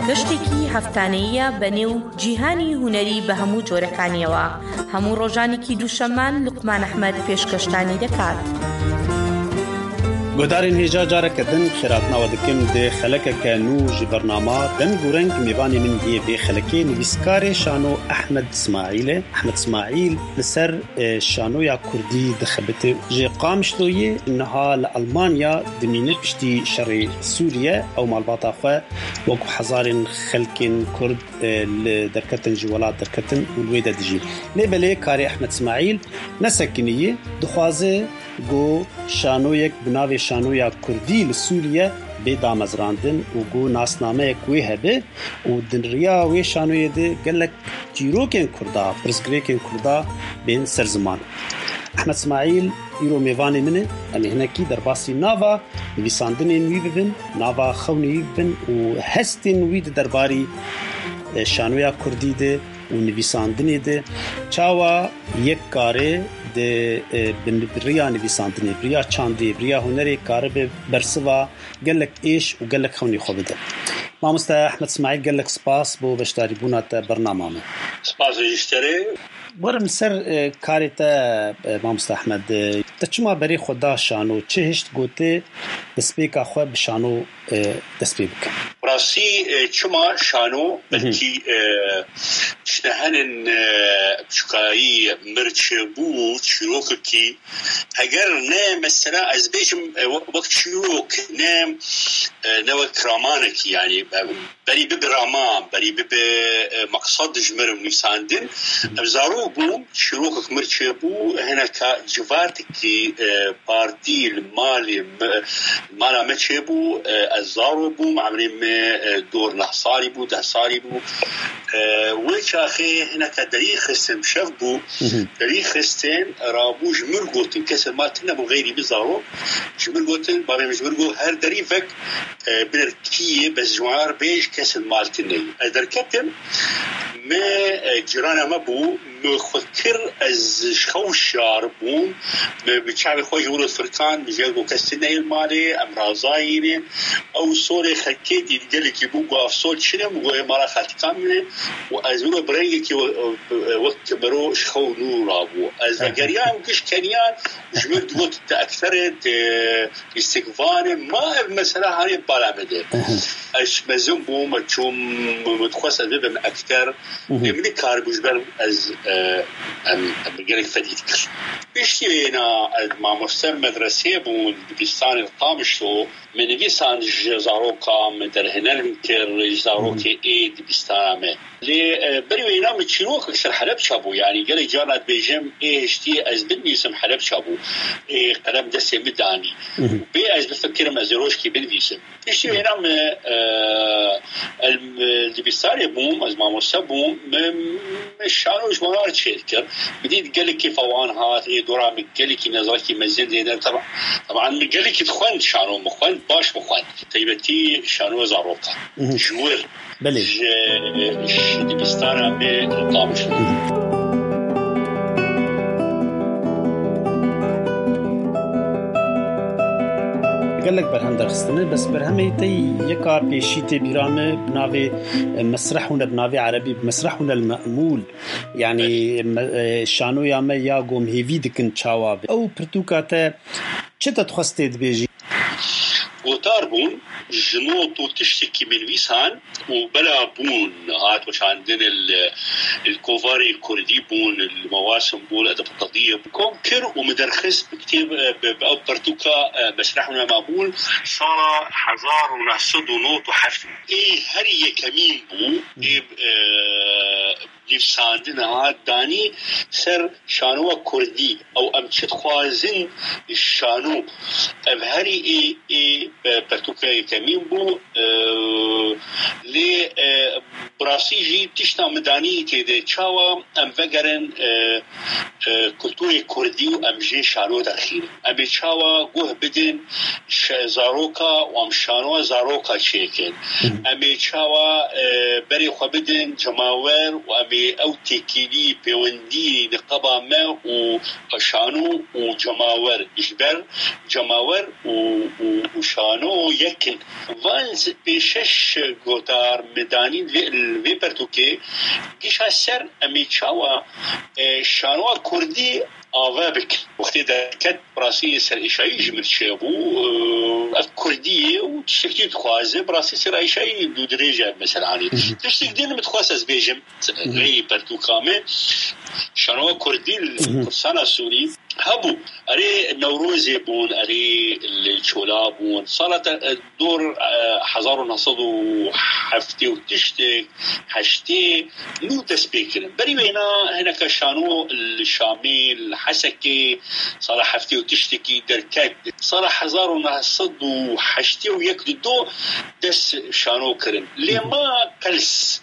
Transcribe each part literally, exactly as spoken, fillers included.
گەشتێکی هەفتانەییە بە نێو جیهانی هونەری بە هەموو جۆرەکانیەوە. هەموو ڕۆژانێکی دووشەممان لوقمان ئەحمەد پێشکەشتانی دەکات. Guhdarên hêja careke din xêratnawe dikim di xelekeke nû ji bernama Deng û Reng. Mêvanê min yê vê xelekê nivîskarê şano Ehmed Smaîl e. Ehmed Smaîl li ser, e, şanoya kurdî dixebite. Ji Qamişloyê niha li Almanya dimîne piştî şerê Sûriye. Ew malbata xwe wek hezarên xelkên kurd, e, li derketin ji welat derketin û li wê de dijîn. Lê belê karê Ehmed Smaîl nesekiniye, dixwaze ku şanoyek bi navê Şanoya Kurdî li Sûriye bê damezrandin û ku nasnameyek wê hebe û di riya wê şanoyê de gelek çîrokên Kurda, pirsgirêkên Kurda bên ser ziman. Ehmed Smaîl îro mêvanê min e. Em ê hinekî derbasî nava nivîsandinên wî bibin, nava xewnê wî bibin û hestên wî di derbarî, e, şanoya kurdî de û nivîsandinê de çawa yek kare di, e, bi, bi riya nivîsandinê, bi riya çandê, bi riya hunerê karibe bersiva gelek êş û gelek xewnî xwe bide. Mamoste Ehmed Smaîl, gelek spas bo beşdarîbûna te bernama me. Spas ji te re. Werim ser, e, karê te, e, Mamoste Ehmed, e, te çima berê xwe da şano? Çi hişt gote destpêka xwe bi şano, e, dest pê bike? Rastî, e, çima şano? Hı hı. Belkî, e, işte henin, e, çikayî mir çêbû, çîrokekî, heger ne mesela ez bêjim, e, we-, wek çîrok, ne, e, ne wek ramanekî, yani, e, berî bibe raman, berî bibe, e, meqsed ji mir nivîsandin. Hı hı. Ev zarok bûm, çîrokek mir çêbû, hineka civatekî, e, partî li malê me, mala me çêbû, e, ez zaro bûm, emrê me, e, dor neh salî bû, deh salî bû. E, wê çaxê hineka derî xistin, şev bû, Hı hı. derî xistin, rabû ji mir gotin, kesên mal tune bû, xeyrî bi zaro, ji mir gotin, bavê min ji mir got, her derî vek, e, biner kî ye, bes ji wan re bêj, kesên mal tune ye. Ez derketim, me, e, cîrana me bû, me xwe kir, ez ji xew şar bûm, me bi çavê xwe ji wir firkan, min jê got kes tune ye li malê, em razayî ne. Ew solê xelkê dît gelekî bû, got ev sol çi ne, min got ê mala xeltika min e. Û ez wilo bi rengekî we-, wek mero ji xew nû rabû. Ez vegeriyam giş keniyan, ji min digot te ekter e, te lîstikvan e, ma ev mesela hanê bala me de. Hı hı. Ez mezin bûm, me çûm, me dixwest ez bibim ekter. Hı hı. Ê min nikaribû ji ber ez, e, em, em gelek fedî dikir. Piştî wêna ez mamoste medreseyê bûm, dibistanê li Qamişlo, me nivîsan ji zaroka me derhêner kir, ji zarokê Hı hı. ê dibistana me. Lê, e, berî wêna min çîrokek ser Helebça bû. Yanî gelek carna dibêjim, ê hiştî ez binivîsim Helebça bû. Ê qelem destê min danî. Hı hı. Bê ez bifikirim, ez ê rojkî binivîsim. Piştî wêna min, e, el, dibistanê bûm, ez mamoste bûm, min, min şano ji wan re çêr kir. Min dît gelekî fewan hat, ê dora min gelekî nezakî mezin dêne. Teba-, teban min gelekî dixwend şano, min xwend, baş min xwend. Taybetî şano zarokan. Hı hı. Ji wir Belê. Ji, ji dibistana me Qamişlo. Gelek berhem derxistine, bes berhemê te yeka pêşî tê bîra me bi navê, e, Mesrehune, bi navê erebî Mesrehune el Me'mûl. Yani, Belê. me-, e, şanoya me ya gom hêvî dikin çawa be. Ew pirtûka te çi te dixwest tê dibêjî? Gotar bûn, ji not û tiştekî min nivîsan û bela bûn, hat weşandin li, li kovarê kurdî bûn, li Mewasim bûn, edeb qediyê bû. Kom kir û min derxist bi kitêb, bi, bi ew pertûka, e, Mesrehuna Mabûn, sala hezar û neh sed û nod û heft. Ê herî yekemîn bû, ê, e, nivîsandina hat danî ser şanoya kurdî. Ew em çi dixwazin şano. Ev herî ê, ê, e, pertûka yekemîn bû. E, lê, e, bi rastî jî tişta min danî tê de çawa em vegerin, e, e, kulturê kurdî û em jê şano derxînin. Em ê çawa guh bidin şe-, zaroka û em şanoa zaroka çêkin. Em ê çawa, e, berê xwe bidin cemawer û em ê ew têkilî, pêwendî, niqaba me û şano û cemawer, ji ber cemawer û, û, û şano yek in. Van pêşeş gotar me danîn vê, li vê pertûkê gişa ser em ê çawa, e, şanoa kurdî ava bikin. Wextê derket, bi rastî serêşayî ji min çêbû. E, ev kurdî ye û tiştekî dixwaze, bi rastî serêşayî dûdirêj e, mesela, anî. Tiştek din min dixwest ez bêjim, rêyê pertûka me, şanoa kurdî li Kurdistana Sûrî hebû. Erê Newrozê bûn, erê li Çola bûn. Sala te, e, dor, e, hezar û neh sed û heftê û tiştek, heştê, nû dest pê kirin. Berî wêna hineke şano li Şamê, li Hesekê, sala heftê û tiştekî derket. Sala hezar û neh sed û heştê û yek li do dest şano kirin. Lê ma qels,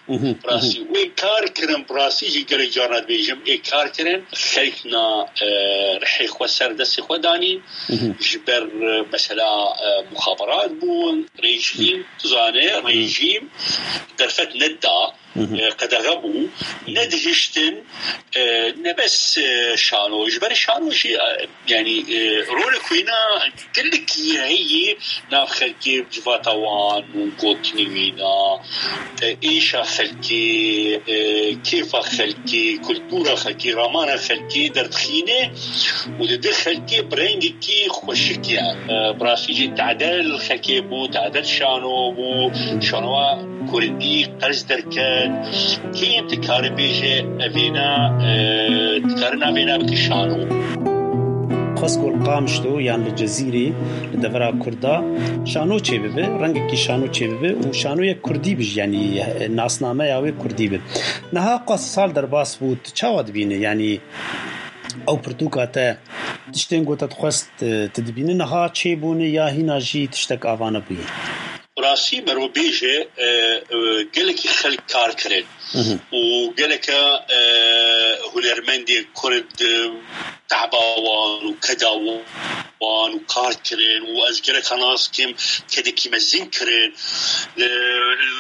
rastî, wê kar kirin, bi rastî jî gelek carna dibêjim, ê kar kirin. Xelk na, e, rihê xwe ser destê xwe danîn. Ji ber, e, mesela, e, muxaberat bûn, rejîm, tu zane, rejîm derfet neda, e, qedexe bû, nedihiştin, e, ne bes, e, şano, ji ber şano jî, e, yanî, e, rolek wêna gelekî heye nav xelkê, civata wan û gotinî wîna, e, êşa xelkê, e, kêfa xelkê, kultura xelkê, ramana xelkê derdixîne û dide xelkê bi rengekî xweşik ya. E, bi rastî jî tade li xelkê bû, tade şano bû, şanoa kurdî qels derket. Kêm dikare bêje evêna, e, dikare navêna bike şano. Xwest ku li Qamişlo yan li Cezîrê, li devera Kurda şano çêbibe, rengekî şano çêbibe û şanoyek kurdî bi jî, yanî, e, nasnameya wê kurdî bi. Niha qas sal derbas bû, tu çawa dibînî? Yanî ew pirtûka te, tiştên ku te dixwest, e, tu dibînî niha çêbûne ya hîna jî tiştek ava nebûye? Bi rastî merov bêje, e, e, gelekî xelk kar kirin û geleke, e, hunermendê kurd, e, tehba wan û keda wan û kar kirin û ez gereka nas kim kedekî mezin kirin. Li,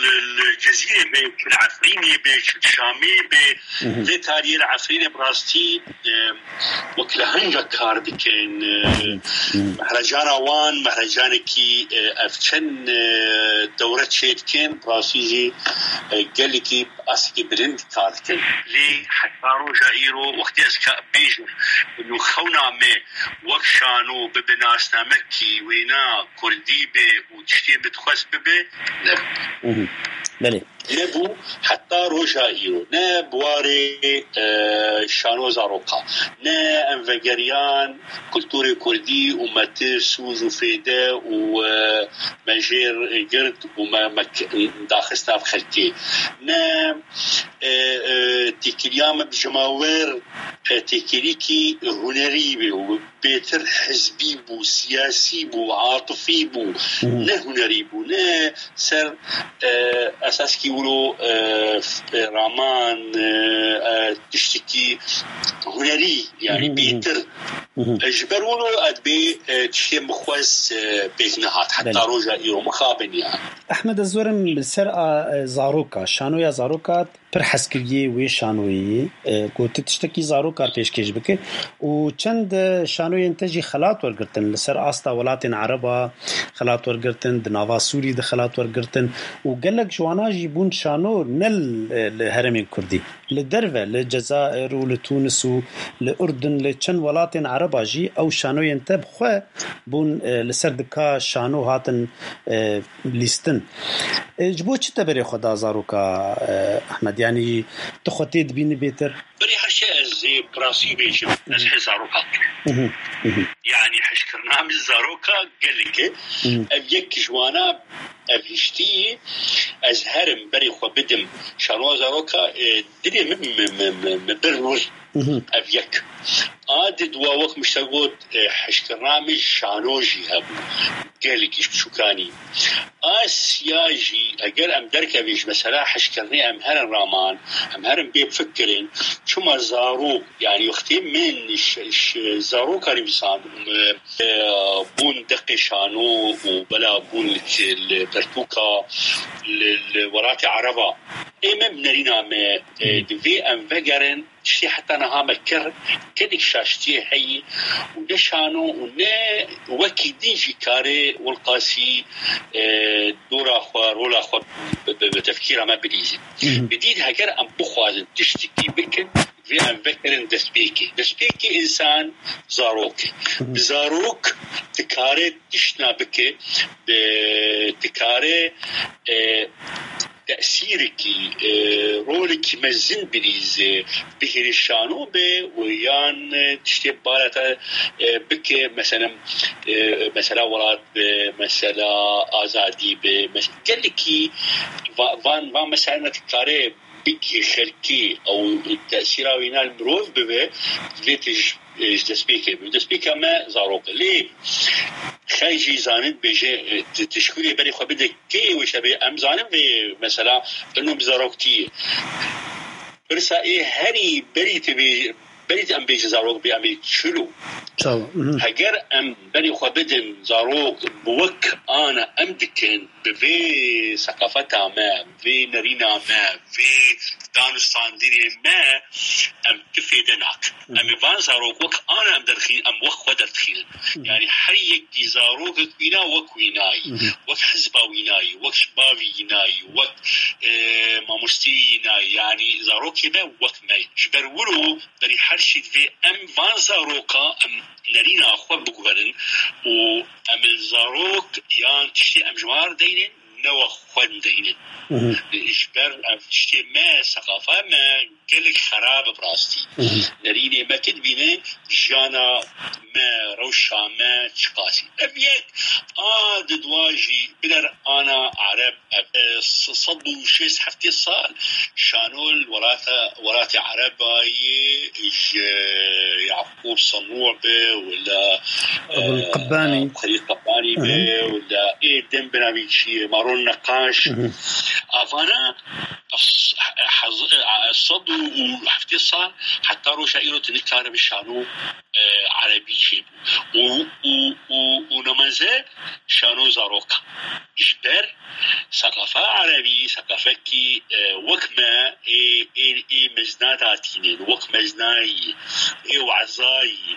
li, li Cezîrê be, çi li Efrînê be, çi li Şamê be, vê tariyê li Efrînê bi rastî, e, wek li hinca kar dikin. E, mehrecana wan, mehrecanekî, e, ev çend, e, dewre çê dikin, bi rastî jî, e, gelekî asekî bilind kar dikin. Lê heta roja îro wextê ez ka bêjim, û xewna me wek şano bibe nasnamekî wêna kurdî be û tiştê min dixwest bibe, ne. Belê. Nebû heta roja îro. Ne bi warê, e, şano zaroka, ne em vegeriyan kulturê kurdî û me tir, sûc û fêde û, e, me jêr girt û me, me k-, daxist nav xelkê. Ne, e, e, têkiliya me bi cemawer, e, têkilîkî hunerî bê û bêtir hizbî bû, siyasî bû, atifî bû, ne hunerî bû, ne ser, e, esaskî wilo, e, f-, e, raman, e, e, tiştekî hunerî, yanî bêtir. E, ji ber wilo ez bê, e, tiştê min xwest, e, pêk nehat. Heta roja îro mixabin ya. Ehmed, ez werim li ser a, e, zaroka, şanoya zaroka pir hez kiriye wê şanoyê, e, ku tu tiştekî zaroka pêşkêş bike û çend, e, şanoyên te jî xelat wergirtin li ser asta welatên Ereba, xelat wergirtin, di nava Sûrî de xelat wergirtin û gelek ji wana jî bûn şano ne li, li herêmên Kurdî. Li derve, li Cezayir û li Tunis û li Urdun, li çend welatên Ereba jî ew şanoyên te bi xwe bûn, e, li ser dika şano hatin, e, lîstin. E, ji bo çi te berê xwe da zaroka, e, Ehmed? Yanî tu xwe tê dibînî bêtir? Berê her şey ez ê bi rastî bêjim, ez hê zaroka dikim. Yanî hişkirina min zaroka gelek e. Ev yek ji wana, ev hiştî, ez herim berê xwe bidim şanoa zaroka, e, dilê min, min, min, min, min bir wir. Ev yek. A di dua wek min ji te got, e, hişkirina min şano jî hebû. gelekî ji biçûkanî. Asya jî, eger em derkevin ji mesela hişkirinê, em herin raman, em herin bê fikirên, çima zarok, yanî wextê min ji, ji zaroka nivîsandin, e, e, bûn deqê şano û bela bûn li, li pertûka li, li welatê Ereba. Ê me bi nerîna me, e, divê em vegerin, tiştê heta niha me kir, gelek şaştiyê heye û ne şano û ne wekî din jî karê Wilqasî, e, dora xwe, rola xwe bi, bi, bi tefkîra me bilîzin. Bi dî de heger em bixwazin tiştekî bikin, vê em vekirin destpêkê. Destpêkê însan zarok e. Bi zarok dikare tiştna bike, bi, dikare, e, tesîrekî, e, rolekî mezin bilîze, bihêrê şano be û yan, e, tiştê balata, e, bike, mesela, e, mesela welat be, mesela azadî be, mes-, gelekî va-, van, van mesela dikare bigihê xelkê ew tesîra wîna li mirov bibe, divê tu ji, ji destpêkê bibî. Destpêka me zarok e. Lê xey jî zanin bêje, e, tu, tu ji kurê berê xwe bide kê wê şebê. Em zanin vê mesela ino bi zaroktî ye. Pirsa ê herî berî tu bê, berî em bêjin zarok bê, em ê çilo. Çawa? Mhm. Heger em berê xwe bidin zarok bi wek ana em dikin, bi vê seqafeta me, vê nerîna me, vê danûstandinê me, em tu fêde nakin. Mhm. Em ê van zarok wek ana em derxîn, em wek xwe derdixînin. Mhm. Yanî her yekî zarokek wîna wek wînayî, Mhm. wek hizba wînayî, wek ji bavî wînayî, wek, e, mamosteyî wînayî. Yanî zarokê me wek me. Ji ber wilo Berî her şî divê em van zaroka em nerîna xwe biguherin û em li zarok yan tiştê em ji wan re deynin, ne we xwe deynin. Mhm. Ji ber ev tiştê me, seqafa me gelek xerab e bi rastî. Mhm. Nerînê me tu dibîne jiyana me, rewşa me çiqasî. Ev yek a di dua jî biner ana Ereb Ev, e, s-, sed û şêst heftê sal şano li welata, welatê Erebê ji Yaqûb Senû be, wila, Ebul e, Qebbanî. Xelîl Qebbanî be, Hı hı. wila ê dem binavî çi ye, Maron Neqaş. Hı hı. Avana s-, hez-, e, sed û heftê sal heta roja îro tu nikare bi şano, e, erebî çêbû. Û, û, û, û nemeze şano zaroka. Ji ber seqafa erebî, seqafekî, e, wek me ê, ê, ê mezna datînin, wek meznayî, ê wezayî,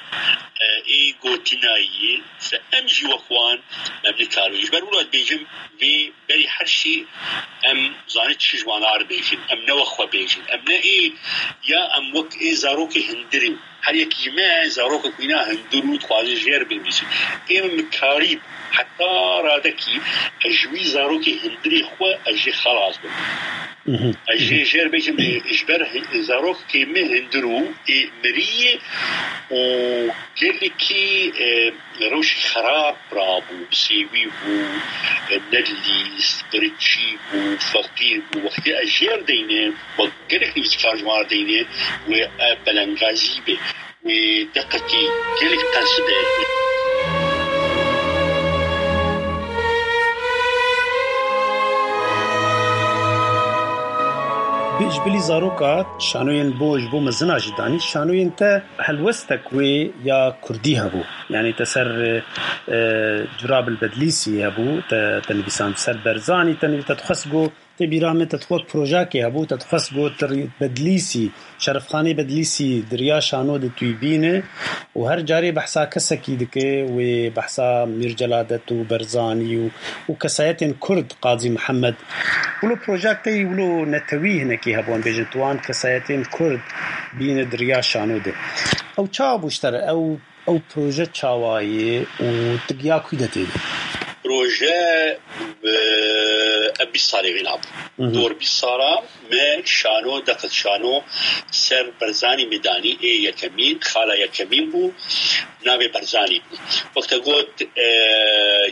e, ê gotinayî, se em jî wek wan em nikarin. Ji ber wilo dibêjim, vê berî her şî em zanin çi ji wan re bêjin. Em ne wek xwe bêjin. Em ne ê, ya em wek ê zarokê hundirî. Her yekî ji me zarokek wîna hundir û dixwaze jêr binivîsî. Ê min karî heta radekî ez ji wî zarokê hundirê xwe ez jê xelas bim. Mhm. Ez jê Mhm. jêr bêjim, ê, ji ber hi-, zarokê min hundir û ê mirî û gelekî, e, rewşî xerab rabû, bi sêwî bû, e, nedilîst, qiriçî bû, feqîr bû. Wextê ez jêr deynim, wek gelek nivîskar ji wan re deyne, wê ev belengazî be, wê deqekî gelek qels be. Bi-, ji bilî zaroka şanoyên bo, ji bo mezina jî danî, şanoyên te helwestek wê ya kurdî hebû. Yanî te ser, e, Curabil Bedlîsî hebû, te, te nivîsand ser Berzanî, te nivî-, te dixwest go Tê bîra min te wek projeyekê hebû, te dixwest got, Bedlîsî, Şerefxanê Bedlîsî di riya şano de tu yî bîne û her carê behsa kesekî dike, wê behsa Mîr Celadet û Berzanî û, û kesayetên Kurd, Qazî Mihemed. Wilo projeyek te yî wilo netewî hinekî hebû, em bêjin, tu wan kesayetên Kurd bîne di riya şano de. Ew çawa bû ji te re? Ew Ew proje çawa ye û tu giya kû de tê de? Proje, e, ev bîst salê vê nabû. Mhm. Dor bîst sala me şano, deqet şano ser Berzanî me danî, ê yekemîn, xala yekemîn bû, navê Berzanî bû. Wexta got, e,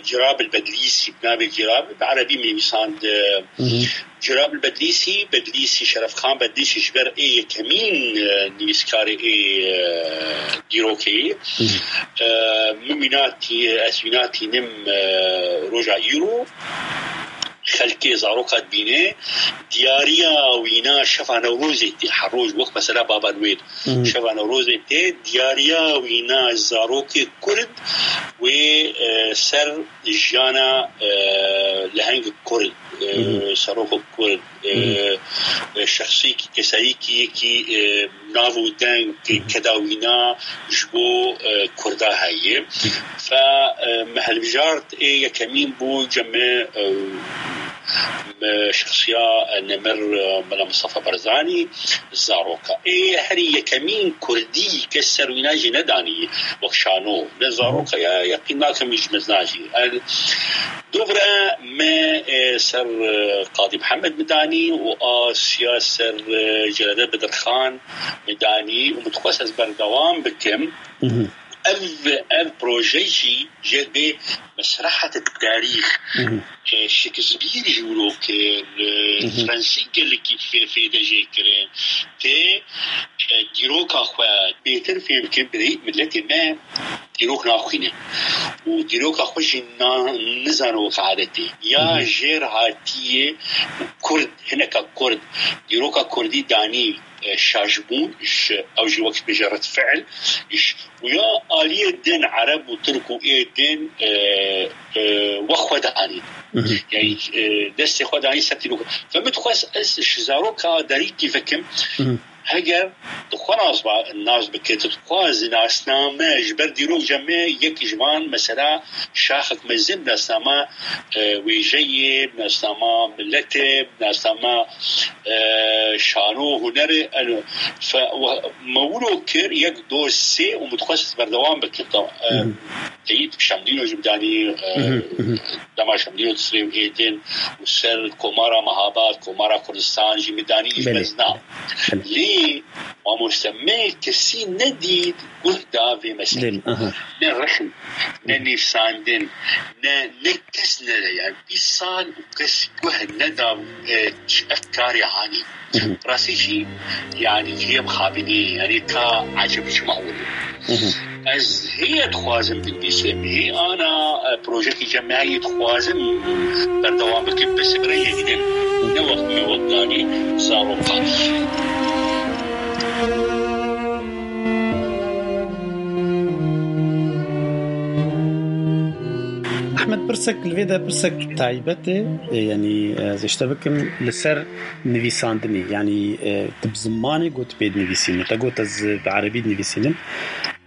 Cirabil Bedlîsî, navê Cirabil, bi erebî me nivîsand, e, Mhm. Cirabil Bedlîsî, Bedlîsî, Şerefxan Bedlîsî ji ber ê yekemîn, e, nivîskarê ê, e, dîrokê. E, min wîna tî-, ez wîna tînim, e, roja îro. Xelkê zaroka dibîne, diyariya wîna şeva Newrozê tê, her roj wek mesela Baba Noel. Şeva Newrozê tê, diyariya wîna zarokê Kurd wê, e, ser jiyana, e, leheng Kurd, e, serokek Kurd, e, e, şexsîkî, keserîkî yekî, e, nav û deng, keda wîna ji bo, e, Kurda heye. Fe, e, me hilbijart ê yekemîn bû cem me, e, me şexsiya, e, nemir, e, Mela Mustafa Barzanî, zaroka. Ê herî yekemîn Kurdî kes ser wîna jî nedanî wek şano. Ne zaroka ya, yeqîn nakim ji mezna jî. El, dovre me, e, ser, e, Qadî Mihemed midanî û Asya ser, e, Celade Bedirxan midanî û min dixwest ez berdewam bikim. Ev, ev proje jî jê bê mesrehet tarîx, e, Shakespeare jî wilo kir, e, Fransî gelekî fê-, fêde jê kirin. Tê, e, dîroka xwe bêtir fêm bikin, birêt miletê me dîrok naxwîne. Û dîroka xwe jî na-, nizane wek adetê. Ya jêr hatiye Kurd, hineka Kurd, dîroka Kurdî danî, e, şaşbûn, ji, ew jî wek bêje red fiil, ji, û ya aliyê din Ereb û Tirk û ê din, e, e, wek xwe danî. Yani, e, destê xwe danî ser dîroka. Ve min dixwest ez ji zaroka derîkî vekim, heger tu xwe nas ba-, nas bike, tu dixwazî nasname ji ber dîrok cem me yek ji van mesela şaxek mezin nasnama, e, wêjeyê, nasnama miletê, nasnama, e, şano, hunerê, eno. Fe-, we-, me wilo kir yek, do, sê û min dixwest berdewam bikim. Tam, e, teyîd Şemdîno jî bidanî, e, dema Şemdîno di sirê êdin û ser Komara Mehabad, Komara Kurdistan jî bidanî ji mezna. Lê mamoste me kesî nedît guh da vê meselê. Ne rexn, ne nivîsandin, ne, ne kes nede. Yani bîst sal û kes guh neda, e, ev karê hanî. Rastî jî, yani cihê mixabinî, yani ta ecib çima wilo. Ez heye dixwazim binivîsim, hê ana, e, projekî cem me heye dixwazim berdewam bikim, bes bi rengekî din. Ne wek me wek danî zarokan. Ehmed, pirsek li vê de pirsek taybet e, e, yanî, e, ez ê ji te bikim li ser nivîsandinê, yanî, e, tu bi zimanê got pê dinivîsînin, te got ez bi erebî dinivîsînim.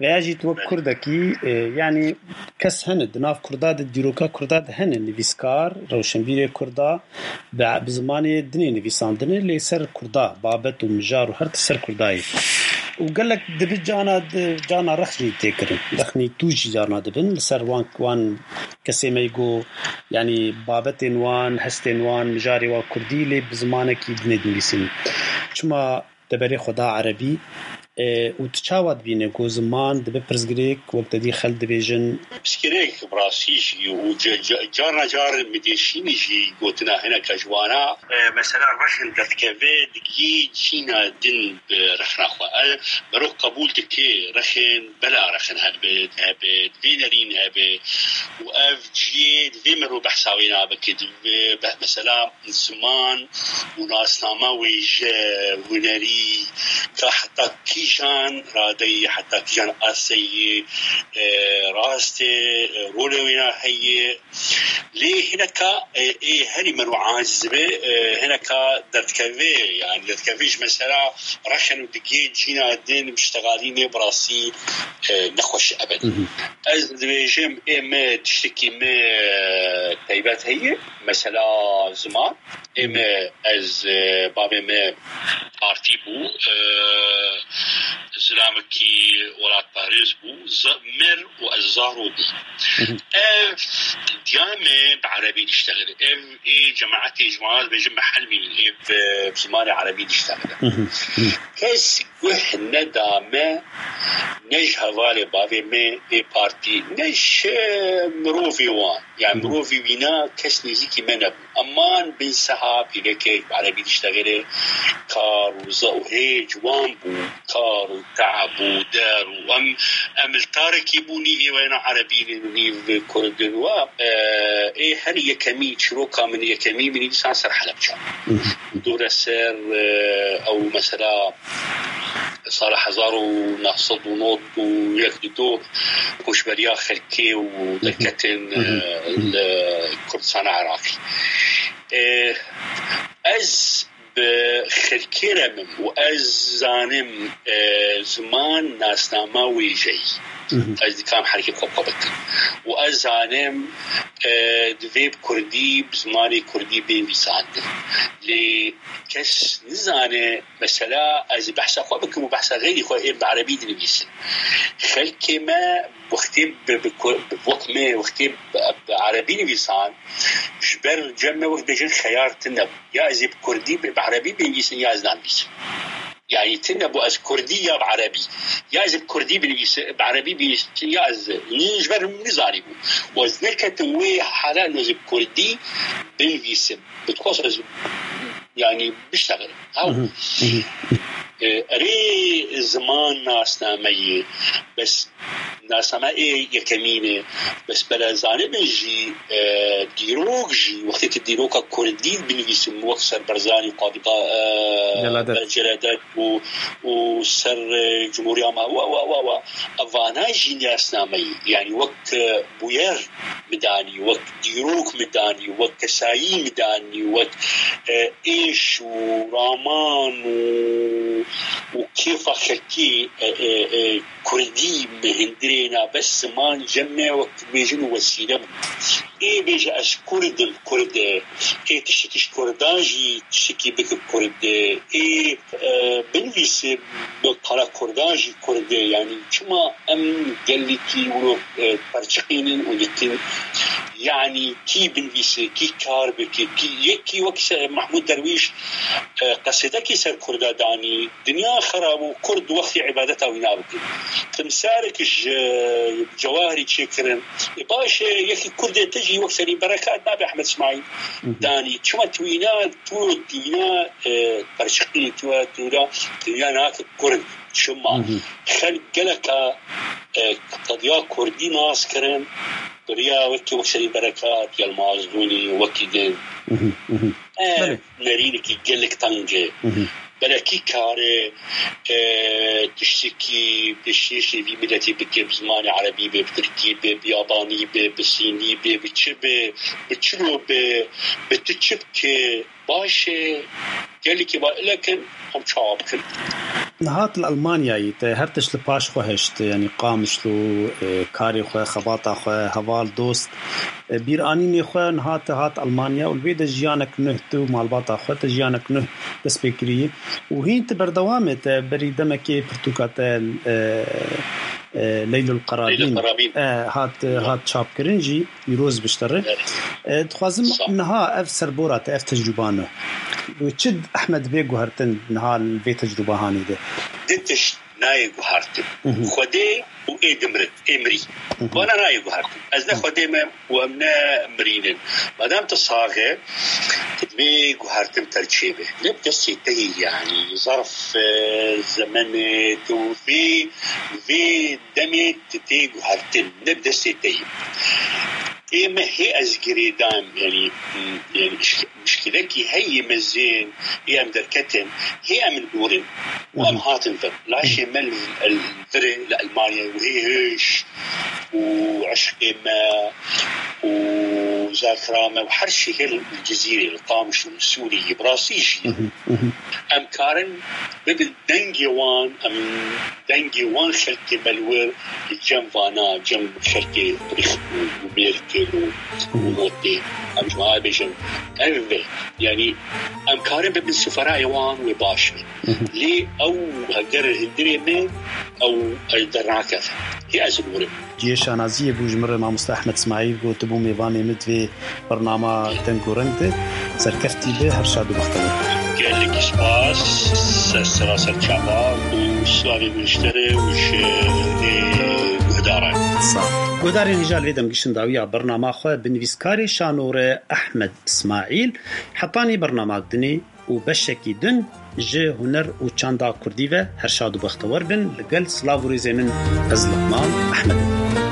Veya jî tu wek kurdekî, e, yanî kes hene di nav kurda de, dîroka kurda de hene nivîskar, rewşenbîrê kurda, bi, bi zimanê dinê nivîsandine, lê ser kurda, babet û mijar û her ti ser kurda ye. Û gelek dibi cana di, cana rex jî tê kirin. Rexnî tûj jî carna dibin, li ser wan, wan kesê me yî got, yanî babetên wan, hestên wan, mijarê wan kurdî, lê bi zimanekî dinê dinivîsînin. Çima deberê xwe da erebî, e, û tu çawa dibîne ku ziman dibe pirsgirêk, wek te dî xelk dibêjin? Pirsgirêk bi rastî jî û ca-, ca-, carna car min dêşînî jî gotina hineka ji wana, e, mesela rexin derdikeve digiyê cîna din bi rexna xwe. E, merov qebûl dike rexin, bela rexin hebe, hebe, divê nerîn hebe û ev cihê divê merov behsa wê nabe ke divê be-, mesela ziman û nasnama wêje, hunerî, ka heta kîjan radeyî, heta kîjan aseyî, e, rastê, e, rolê wêna heye. Lê hineka, e, ê herî merû aciz be, e, hineka derdikeve, yani derdikeve ji mesela rexen û digê cîna din biştegalînê bi rastî, e, nexweş e ebed. Ez dibêjim, ê me tiştekî me, e, taybet heye, mesela ziman. Ê me, ez, e, bavê me partî bû, e, zilamekî welatparêz bû, z-, mir û ez zaro bû. Ev diya me bi erebî diştexile. Ev ê cemaetê ji wana dibêjin mihelmî, ê bi, bi zimanê erebî diştexile. Kes guh neda me, ne ji hevalê bavê me ê partî, ne ji mirovê wan. Yani mirovî wîna kes nêzîkî me nebû. Eman bin seha pîvekek bi erebî diştexile kar û za û hê ciwan bû. Kar û te'b û der û em, em li tarekî bû, nîvê we ne erebî ne, nîv kurd in. Wa, e, ê her yekemî çîroka min, yekemî min dîsan ser Helebce. Dore ser, e, ew mesela sala hezar û neh sed û nod û yek dido koçberiya xelkê û derketin, e, li Kurdistana Iraqî. E, ez bi xelkê re bim û ez zanim, e, ziman nasnama wêjeyî. Ez dikarim herkê xwe xwe bikim. Û ez zanim, e, divê bi kurdî, bi zimanê kurdî bê nivîsandin. Lê kes nizane, mesela ez ê behsa xwe bikim û behsa xeyrî xwe ê bi erebî dinivîsin. Xelkê me wextê bi, bi, bi, wek me wextê bi, bi erebî nivîsan, ji ber cem me wek bêjin xeyar tune bû. Ya ez ê bi kurdî, bi, bi erebî binivîsim ya ez nanivîsim. Yani tune bû ez kurdî ya bi erebî. Ya ez ê bi kurdî binivîsim, bi erebî binivîsim ya ez nî ji ber min nizanî bû. Û ez neketim wê hala ez ê bi kurdî binivîsim. Bi dixwest ez yani biştexil. Ew, e, erê ziman nasnameyê, bes nasname ê yekemîn e. Bes bela zanibin jî, e, dîrok jî, wextê tu dîroka kurdî binivîsim, wek ser Barzanî, Qadî Qa-, e, Celadet. Celadet û, û ser, e, Cumhuriya Ma-, wa, wa, wa, wa. Evana jî nasnameyê, yani wek, e, bûyer midanî, wek dîrok midanî, wek kesayî midanî, wek, e, êş û raman û, û kêfa xelkî, e, e, e, kurdî mi hindirê na bes ziman cem me wek bêjin û wesîle bû. Ê bêje ez kurd im, kurd e. Ê tiştekî ji kurdan jî tiştekî bike kurd e. Ê e, binivîse bi qala kurdan jî kurd e. Yani çima em gelekî wilo, e, perçiqînin û dikin? Yani kî binivîse, kî kar bike, kî yekî wek se-, Mahmûd Derwîş, e, qesidekî ser kurda danî, dinya xerab û kurd wextî îbadeta wî nabikin. Timsalek ji, e, cewahirî çêkirin. E, baş e, yekî kurdê te jî wek Serî Berekat nabe Ehmed Smaîl danî. Çima tu wîna, tu dîna, e, perçiqî tu, tu da dinya nake kurd. Çima? Xelk geleka, e, qediya kurdî nas kirin, biriya wekî wek Serî Berekat, Yilmaz Dûnî, wekî din. E, Belê. Nerînekî gelek teng e. Belekî kare, e, tiştekî pêşkêşê vî miletî bike, bi zimanê erebî be, bi tirkî be, bi yabanî be, bi sînî be, bi çi be, bi çilo be, bi tu çi bike, baş e, gelekî ba-, lekin em çawa bikin? Niha tu li Almanyayê te her tişt li paş xwe hişt, yanî Qamişlo, e, karê xwe, xebata xwe, heval, dost, e, bîranînê xwe niha te hat Almanya û li wê de jiyanek nuh tu û malbata xwe te jiyanek nuh dest pê kirî. Û hîn tu berdewam e, te berî demekê pirtûka te, e, e, Leylul Qerabîn, Leylul Qerabîn. E, hat, hat çapkirin jî. Îroz biştere. Evet. E, dixwazim Sağ ol. Niha ev serbora te, ev tecrûba ne. Çi Ehmed bê guhertin niha li vê tecrûba hanî de? Di tişt nayê guhertin. Xwedê û ê dimrin, ê mirî. Vana nayê guhertin. Ez ne Xwedê me û em ne mirîn in. Madem tu sax e, tu divê guhertin te çê be. Ne bi destê te yê, yanî zarf, e, zemenê tu vê, vê demê tu tê guhertin, ne bi destê te yî. Ê me hê ez girêdayim, yanî, yanî mişk-, mişkilekî heyî mezin, ê em derketin, hê em li dûr in. Û em hatin vir. Laşê me li, li vir e, li Elmanya, û hê hêş û eşqê me û zakira me û her şey hê li Cizîrê, li Qamişlo, li Sûriyê, bi rastî jî. Em karin bibin dengê wan, em dengê wan xelkê me li wir, li cem vana, cem xelkê Rîx û, û Mêrkê û, û Motê. Em ji wan bêjin, ev e. Yanî, em karin bibin siferayê wan wê baş be. Lê ew heger hundirê me, ew, ew dernakeve. Hê ez li wir im. Cihê şanaziyê bû ji min re mamoste Ehmed Smaîl, ku tu bû mêvanê min di vê Bernama Deng û Reng de serkeftî be, her şad û bextewar. Gelek spas, ser sera ser çava û slavê min ji te re û ji guhdaran. Sağ ol. Guhdarên hêja li vê demgişin dawiya bernama xwe bi nivîskarê şanore Ehmed Îsmaîl hetanî bernama dinê û beşekî din ji huner û çanda kurdî ve her şad û bextewar bin. Li gel silav û rêzê min, ez Luqman Ehmed im.